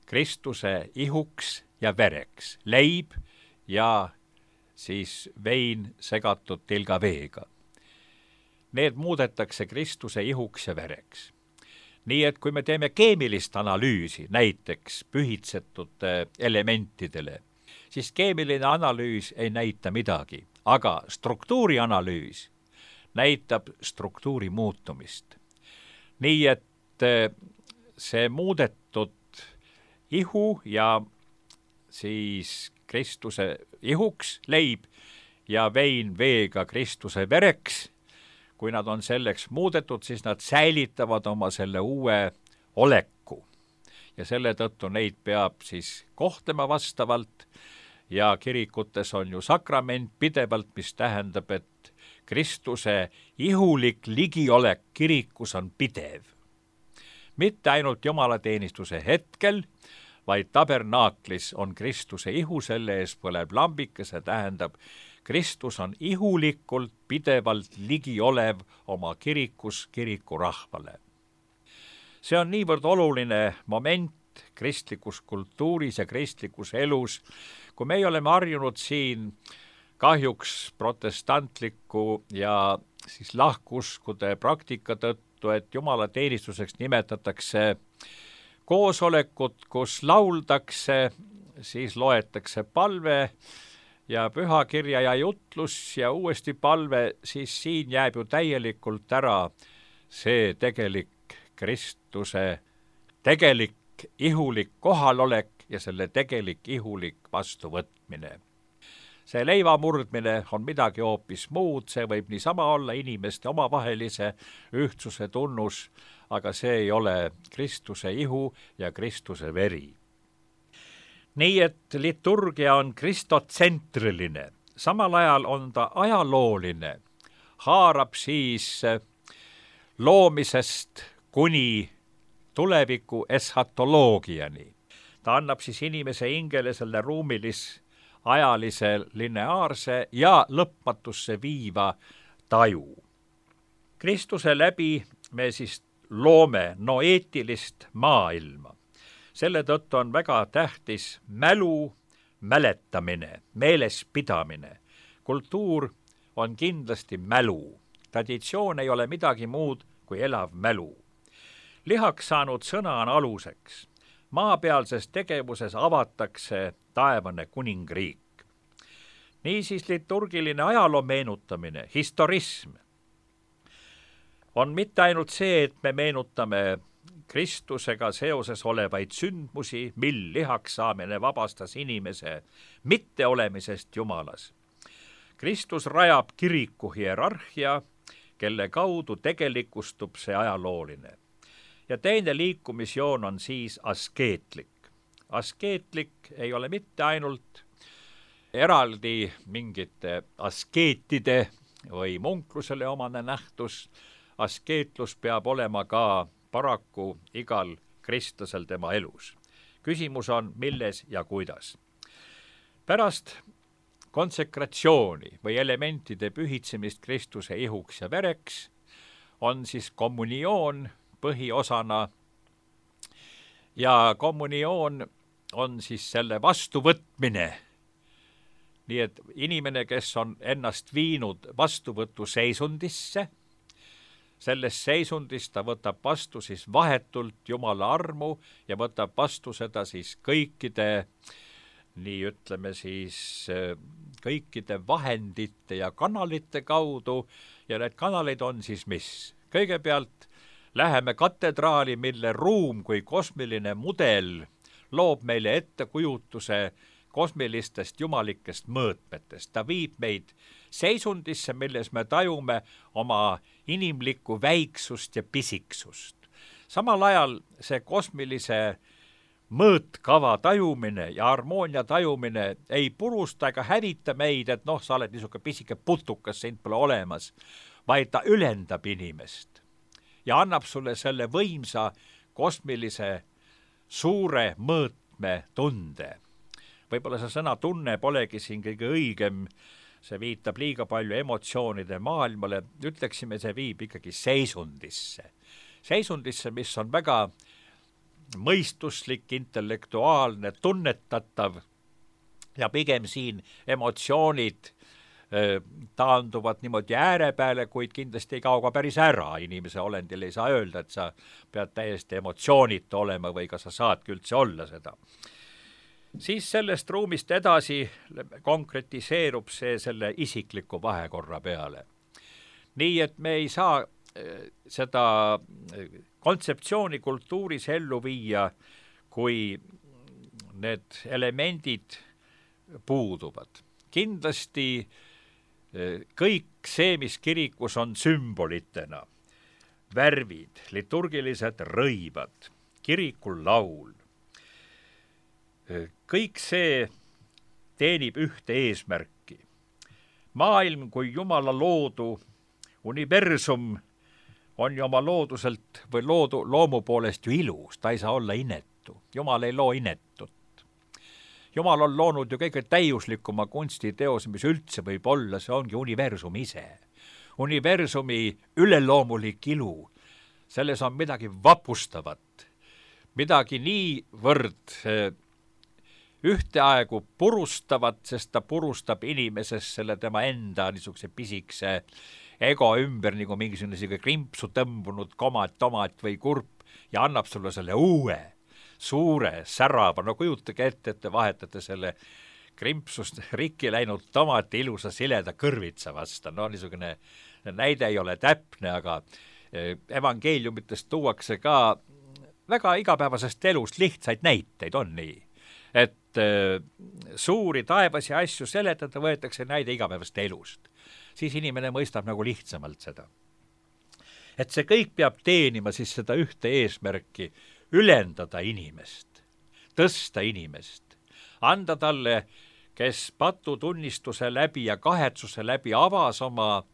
Kristuse ihuks ja vereks, leib ja siis vein segatud tilgaveega. Need muudetakse Kristuse ihuks ja vereks. Nii et kui me teeme keemilist analüüsi, näiteks pühitsetud elementidele, siis keemiline analüüs ei näita midagi, aga struktuurianalüüs näitab struktuuri muutumist. Nii et see muudetud ihu ja siis Kristuse ihuks leib ja vein veega Kristuse vereks, kui nad on selleks muudetud, siis nad säilitavad oma selle uue oleku. Ja selle tõttu neid peab siis kohtlema vastavalt ja kirikutes on ju sakrament pidevalt, mis tähendab, et Kristuse ihulik ligiolek kirikus on pidev. Mitte ainult jumalateenistuse hetkel, vaid tabernaaklis on Kristuse ihu, selle ees põleb lambike, see tähendab, Kristus on ihulikult pidevalt ligiolev oma kirikus kirikurahvale. See on niivõrd oluline moment kristlikus kultuuris ja kristlikus elus, kui me oleme harjunud siin kahjuks protestantliku ja siis lahkuskude praktika tõttu, et jumalateenistuseks nimetatakse koosolekut, kus lauldakse, siis loetakse palve ja pühakirja ja jutlus ja uuesti palve, siis siin jääb ju täielikult ära see tegelik Kristuse tegelik ihulik kohalolek ja selle tegelik ihulik vastuvõtmine. See leiva murdmine on midagi hoopis muud, see võib niisama olla inimeste omavahelise ühtsuse tunnus, aga see ei ole Kristuse ihu ja Kristuse veri. Nii et liturgia on kristotsentriline, samal ajal on ta ajalooline, haarab siis loomisest kuni tuleviku eschatoloogiani. Ta annab siis inimese hingele selle ruumilis-ajalise lineaarse ja lõpmatusse viiva taju. Kristuse läbi me siis loome noeetilist maailma. Selle tõttu on väga tähtis mälu, mäletamine, meelespidamine. Kultuur on kindlasti mälu. Traditsioon ei ole midagi muud kui elav mälu. Lihaks saanud sõna on aluseks. Maapealses tegevuses avatakse taevane kuningriik. Niisiis liturgiline ajaloo meenutamine, historism, on mitte ainult see, et me meenutame Kristusega seoses olevaid sündmusi, mil lihaks saamine vabastas inimese mitteolemisest Jumalas. Kristus rajab kiriku hierarhia, kelle kaudu tegelikustub see ajalooline. Ja teine liikumisjoon on siis askeetlik. Askeetlik ei ole mitte ainult eraldi mingite askeetide või munklusele omane nähtus, askeetlus peab olema ka paraku igal kristlasel tema elus. Küsimus on, milles ja kuidas. Pärast konsekratsiooni või elementide pühitsemist Kristuse ihuks ja vereks on siis kommunioon põhiosana ja kommunioon on siis selle vastuvõtmine. Nii et inimene, kes on ennast viinud vastuvõtu seisundisse, selles seisundis ta võtab vastu siis vahetult Jumala armu ja võtab vastu seda siis kõikide, nii ütleme siis, kõikide vahendite ja kanalite kaudu ja need kanalid on siis mis? Kõigepealt läheme katedraali, mille ruum kui kosmiline mudel loob meile ettekujutuse kosmilistest jumalikest mõõtmetest. Ta viib meid seisundisse, milles me tajume oma inimlikku väiksust ja pisiksust. Samal ajal see kosmilise mõõtkava tajumine ja harmoonia tajumine ei purusta ega hävita meid, et noh, sa oled niisugune pisike putukas, sind pole olemas, vaid ta ülendab inimest ja annab sulle selle võimsa kosmilise suure mõõtme tunde. Võib-olla see sõna tunne polegi siin kõige õigem, see viitab liiga palju emotsioonide maailmale, ütleksime, see viib ikkagi seisundisse, mis on väga mõistuslik, intellektuaalne, tunnetatav ja pigem siin emotsioonid taanduvad niimoodi äärepeale, kuid kindlasti ei kao ka päris ära. Inimese olendil ei saa öelda, et sa pead täiesti emotsioonita olema või kas sa saadki üldse olla seda. Siis sellest ruumist edasi konkretiseerub see selle isikliku vahekorra peale. Nii, et me ei saa seda kontseptsiooni kultuuris ellu viia, kui need elemendid puuduvad. Kindlasti kõik see, mis kirikus on sümbolitena, värvid, liturgilised rõivad, kirikul laul, kõik see teenib ühte eesmärki. Maailm kui Jumala loodu, universum on ju oma looduselt või loomu poolest ju ilus, ta ei saa olla inetu. Jumal ei loo inetut. Jumal on loonud ju kõige täiuslikuma kunstiteose, mis üldse võib olla, see ongi universum ise. Universumi üleloomulik ilu, selles on midagi vapustavat, midagi niivõrd ühteaegu purustavat, sest ta purustab inimesest selle tema enda niisuguse pisikese ego ümber nagu mingisugune krimpsu tõmbunud tomat või kurp ja annab sulle selle uue, suure, särava, no kujutage ette, et te vahetate selle krimpsust rikki läinud tomati ilusa sileda kõrvitsa vasta. No niisugune näide ei ole täpne, aga evangeeliumitest tuuakse ka väga igapäevasest elust lihtsaid näiteid, on nii. Et suuri taevasi asju seletada võetakse näide igapäevast elust. Siis inimene mõistab nagu lihtsamalt seda. Et see kõik peab teenima siis seda ühte eesmärki, ülendada inimest, tõsta inimest, anda talle, kes patutunnistuse läbi ja kahetsuse läbi avas oma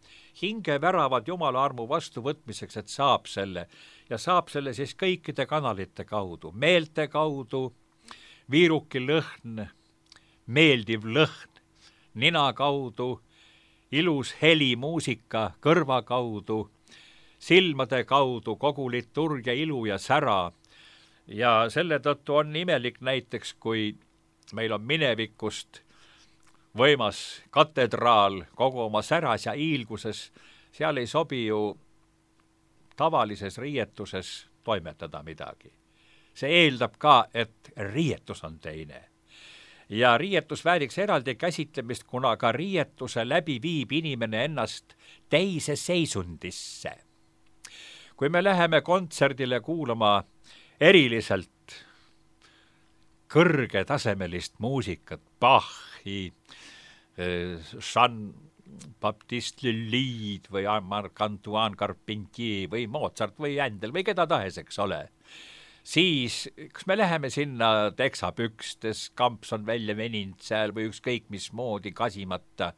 hingeväravad Jumala armu vastuvõtmiseks, et saab selle ja saab selle siis kõikide kanalite kaudu, meelte kaudu, viiruki lõhn, meeldiv lõhn, nina kaudu, ilus heli, muusika kõrva kaudu, silmade kaudu, kogu liturgia ilu ja sära. Ja selle tõttu on imelik näiteks, kui meil on minevikust võimas katedraal kogu oma säras ja hiilguses, seal ei sobi ju tavalises riietuses toimetada midagi. See eeldab ka, et riietus on teine. Ja riietus vääriks eraldi käsitlemist, kuna ka riietuse läbi viib inimene ennast teise seisundisse. Kui me läheme kontserdile kuulama eriliselt kõrgetasemelist muusikat, Bachi, Jean-Baptiste Lully'd või Marc-Antoine Carpentier või Mozart või Händel või keda tahes, eks ole, siis kas me läheme sinna teksapükstes, kamps on välja veninud seal või ükskõik mismoodi kasimata,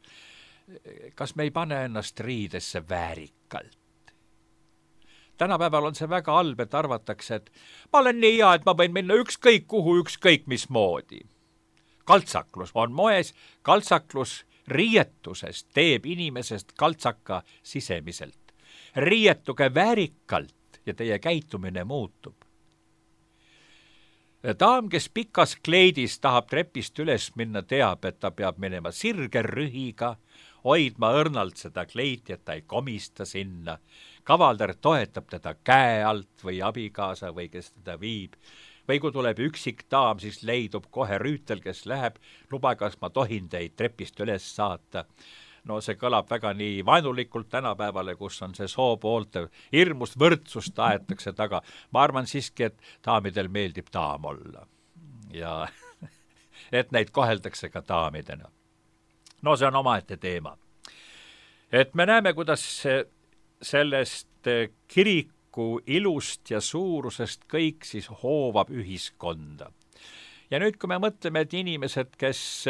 kas me ei pane ennast riidesse väärikalt? Tänapäeval on see väga halb, et arvatakse, et ma olen nii hea, et ma võin minna ükskõik kuhu, ükskõik mismoodi. Kaltsaklus on moes, kaltsaklus riietusest teeb inimesest kaltsaka sisemiselt. Riietuge väärikalt ja teie käitumine muutub. Daam, kes pikas kleidis tahab trepist üles minna, teab, et ta peab minema sirge rühiga, hoidma õrnalt seda kleiti, et ta ei komista sinna. Kavalder toetab teda käe alt või abikaasa või kes teda viib. Või kui tuleb üksik daam, siis leidub kohe rüütel, kes läheb, luba, kas ma tohin teid trepist üles saata. No see kõlab väga nii vaenulikult tänapäevale, kus on see soopoolte hirmust võrdsust aetakse taga. Ma arvan siiski, et daamidel meeldib daam olla. Ja et neid koheldakse ka daamidena. No see on omaette teema. Et me näeme, kuidas sellest kiriku ilust ja suurusest kõik siis hoovab ühiskonda. Ja nüüd, kui me mõtleme, et inimesed, kes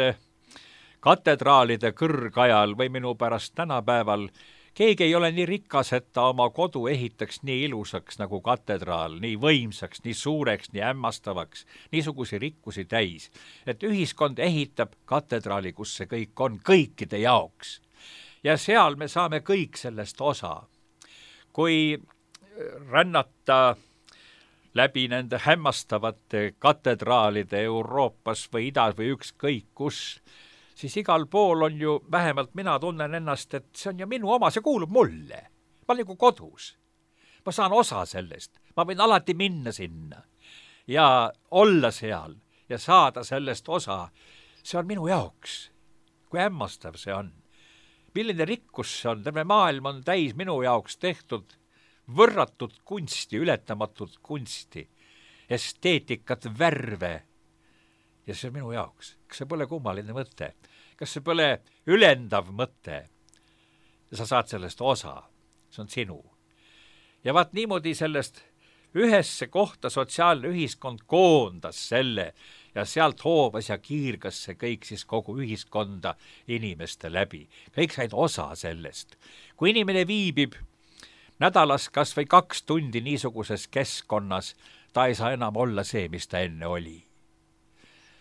katedraalide kõrgajal või minu pärast tänapäeval, keegi ei ole nii rikas, et ta oma kodu ehitaks nii ilusaks nagu katedraal, nii võimsaks, nii suureks, nii hämmastavaks, niisugusi rikkusi täis, et ühiskond ehitab katedraali, kus see kõik on kõikide jaoks. Ja seal me saame kõik sellest osa. Kui rännata läbi nende hämmastavate katedraalide Euroopas või idas või ükskõik kus, siis igal pool on ju, vähemalt mina tunnen ennast, et see on ju minu oma, see kuulub mulle. Ma olen nagu kodus. Ma saan osa sellest. Ma võin alati minna sinna ja olla seal ja saada sellest osa. See on minu jaoks. Kui hämmastav see on. Milline rikkus see on? Terve maailm on täis minu jaoks tehtud võrratud kunsti, ületamatut kunsti, esteetikat, värve. Ja see on minu jaoks. Kas see pole kummaline mõte? Kas see pole ülendav mõte? Ja sa saad sellest osa. See on sinu. Ja vaat niimoodi sellest ühesse kohta sotsiaalne ühiskond koondas selle ja sealt hoovas ja kiirgas see kõik siis kogu ühiskonda inimeste läbi. Kõik said osa sellest. Kui inimene viibib nädalas kas või 2 tundi niisuguses keskkonnas, ta ei saa enam olla see, mis ta enne oli.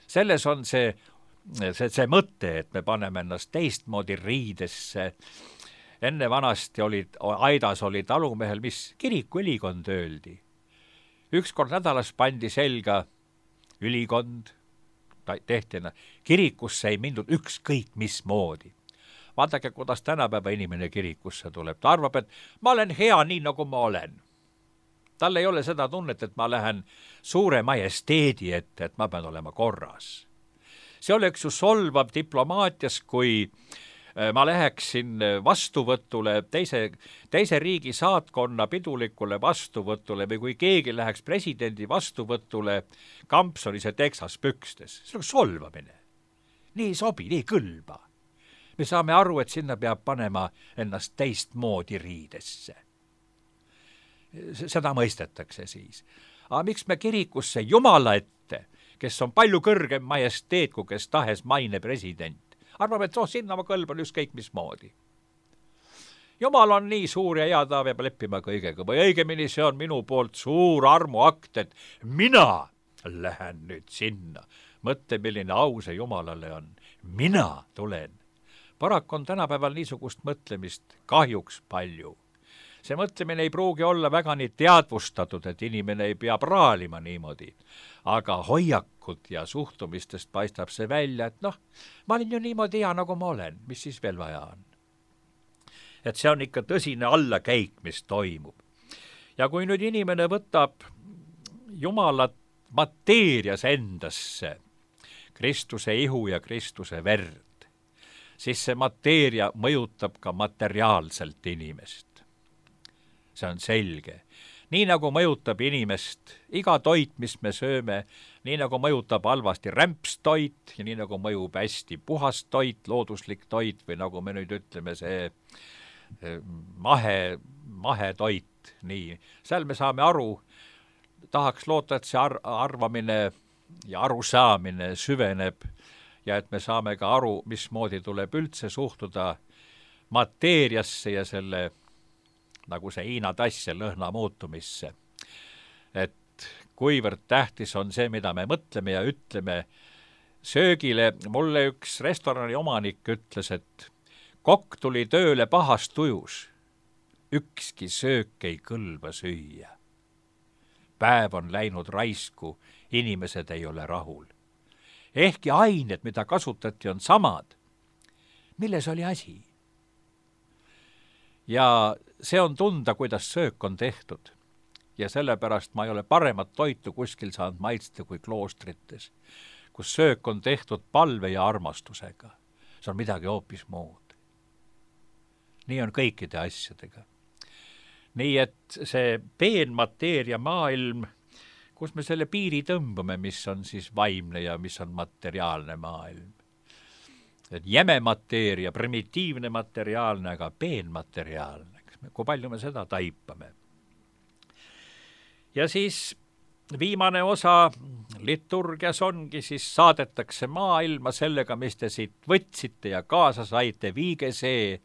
Selles on see mõte, et me paneme ennast teistmoodi riidesse. Enne vanasti aidas oli talumehel, mis kiriku ülikond öeldi. Ükskord nädalas pandi selga ülikond, tehti kirikusse ei mindud ükskõik mismoodi. Vaadake, kuidas tänapäeva inimene kirikusse tuleb. Ta arvab, et ma olen hea nii, nagu ma olen. Tal ei ole seda tunnet, et ma lähen suure majesteedi ette, et ma pean olema korras. See oleks ju solvav diplomaatias, kui ma läheksin vastuvõtule, teise riigi saatkonna pidulikule vastuvõtule või kui keegi läheks presidendi vastuvõtule Kampsonis ja Texas pükstes. See on solvamine. Nii sobi, nii kõlba. Me saame aru, et sinna peab panema ennast teistmoodi riidesse. Seda mõistetakse siis. Aga miks me kirikusse Jumala ette, kes on palju kõrgem majesteet, kui kes tahes maine president, arvab, et sinna ma kõlban ükskõik mismoodi. Jumal on nii suur ja hea, ta peab leppima kõigega. Või õigemini see on minu poolt suur armuakt, et mina lähen nüüd sinna. Mõtle, milline au see Jumalale on. Mina tulen. Paraku on tänapäeval niisugust mõtlemist kahjuks palju. See mõtlemine ei pruugi olla väga nii teadvustatud, et inimene ei pea praalima niimoodi. Aga hoiakud ja suhtumistest paistab see välja, et ma olen ju niimoodi hea, nagu ma olen. Mis siis veel vaja on? Et see on ikka tõsine allakäik, mis toimub. Ja kui nüüd inimene võtab Jumalat mateerias endasse, Kristuse ihu ja Kristuse verd, siis see mateeria mõjutab ka materiaalselt inimest. See on selge. Nii nagu mõjutab inimest iga toit, mis me sööme, nii nagu mõjutab halvasti rämpstoit ja nii nagu mõjub hästi puhas toit, looduslik toit või nagu me nüüd ütleme, see mahetoit. Nii. Seal me saame aru, tahaks loota, et see arvamine ja arusaamine süveneb ja et me saame ka aru, mismoodi tuleb üldse suhtuda mateeriasse ja selle, nagu see Hiina tass ja lõhna muutumisse. Et kuivõrd tähtis on see, mida me mõtleme ja ütleme söögile. Mulle üks restorani omanik ütles, et kokk tuli tööle pahast tujus. Ükski söök ei kõlba süüa. Päev on läinud raisku, inimesed ei ole rahul. Ehkki ained, mida kasutati, on samad. Milles oli asi? Ja see on tunda, kuidas söök on tehtud. Ja sellepärast ma ei ole paremat toitu kuskil saanud maitsta kui kloostrites, kus söök on tehtud palve ja armastusega. See on midagi hoopis muud. Nii on kõikide asjadega. Nii et see peenmateeria maailm, kus me selle piiri tõmbame, mis on siis vaimne ja mis on materiaalne maailm. Et jäme mateeria, primitiivne materiaalne, aga peenmateriaalne. Kui palju me seda taipame? ja siis viimane osa liturgias ongi, siis saadetakse maailma sellega, mis te siit võtsite ja kaasa saite, viige see,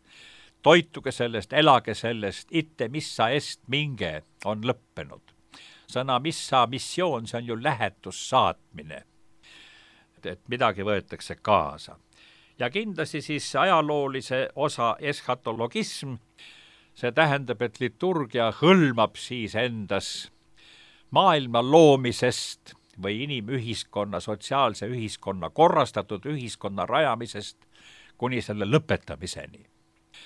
toituge sellest, elage sellest, ite missa est minge on lõppenud. Sõna missa, missioon, see on ju lähetussaatmine, et midagi võetakse kaasa. Ja kindlasti siis ajaloolise osa eschatologism, see tähendab, et liturgia hõlmab siis endas maailma loomisest või inimühiskonna, sotsiaalse ühiskonna, korrastatud ühiskonna rajamisest kuni selle lõpetamiseni.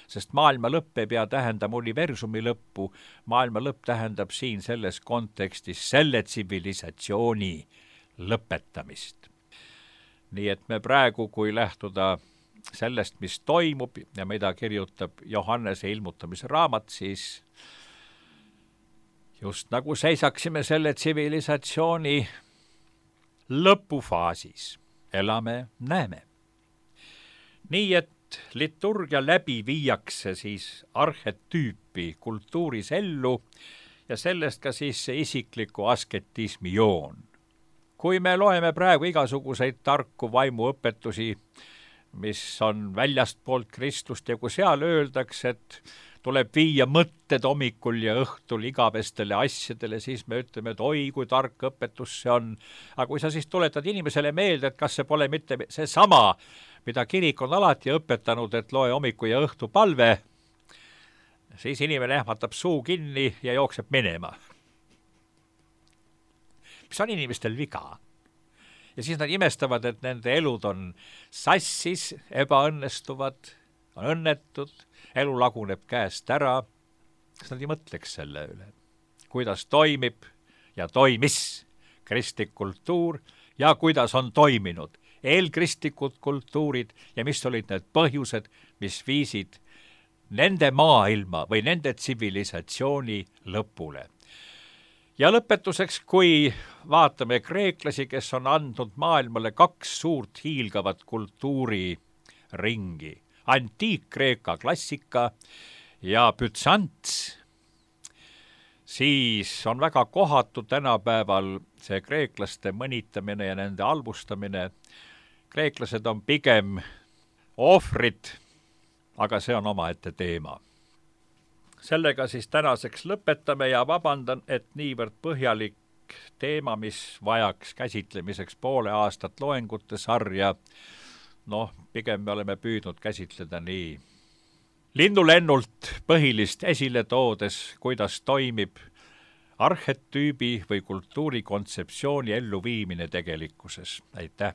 Sest maailma lõpp ei pea tähendama universumi lõppu, maailma lõpp tähendab siin selles kontekstis selle tsivilisatsiooni lõpetamist. Nii et me praegu, kui lähtuda sellest, mis toimub ja mida kirjutab Johannese ilmutamise raamat, siis just nagu seisaksime selle tsivilisatsiooni lõpufaasis. Elame, näeme. Nii et liturgia läbi viiakse siis arhetüüpi kultuuris ellu ja sellest ka siis see isikliku asketismi joon. Kui me loeme praegu igasuguseid tarku vaimuõpetusi, mis on väljastpoolt Kristust ja kui seal öeldakse, et tuleb viia mõtted hommikul ja õhtul igavestele asjadele, siis me ütleme, et oi, kui tark õpetus see on. Aga kui sa siis tuletad inimesele meelde, et kas see pole mitte see sama, mida kirik on alati õpetanud, et loe hommiku ja õhtu palve, siis inimene ähmatab suu kinni ja jookseb minema. Mis on inimestel viga? Ja siis nad imestavad, et nende elud on sassis, ebaõnnestuvad, on õnnetud, elu laguneb käest ära. Kas nad ei mõtleks selle üle? Kuidas toimib ja toimis kristlik kultuur ja kuidas on toiminud eelkristlikud kultuurid ja mis olid need põhjused, mis viisid nende maailma või nende tsivilisatsiooni lõpule. Ja lõpetuseks, kui vaatame kreeklasi, kes on andnud maailmale 2 suurt hiilgavat kultuuriringi, antiik-Kreeka klassika ja Bütsants, siis on väga kohatu tänapäeval see kreeklaste mõnitamine ja nende albustamine. Kreeklased on pigem ohvrid, aga see on omaette teema. Sellega siis tänaseks lõpetame ja vabandan, et niivõrd põhjalik teema, mis vajaks käsitlemiseks poole aastat loengute sarja, pigem me oleme püüdnud käsitleda nii linnulennult põhilist esile toodes, kuidas toimib arhetüübi või kultuurikontseptsiooni elluviimine tegelikkuses. Aitäh!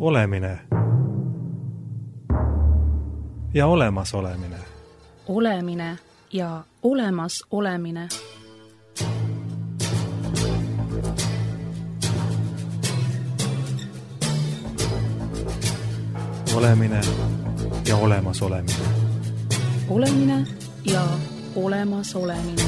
olemine ja olemasolemine. Olemine ja olemasolemine. Olemine ja olemasolemine. Olemine ja olemasolemine.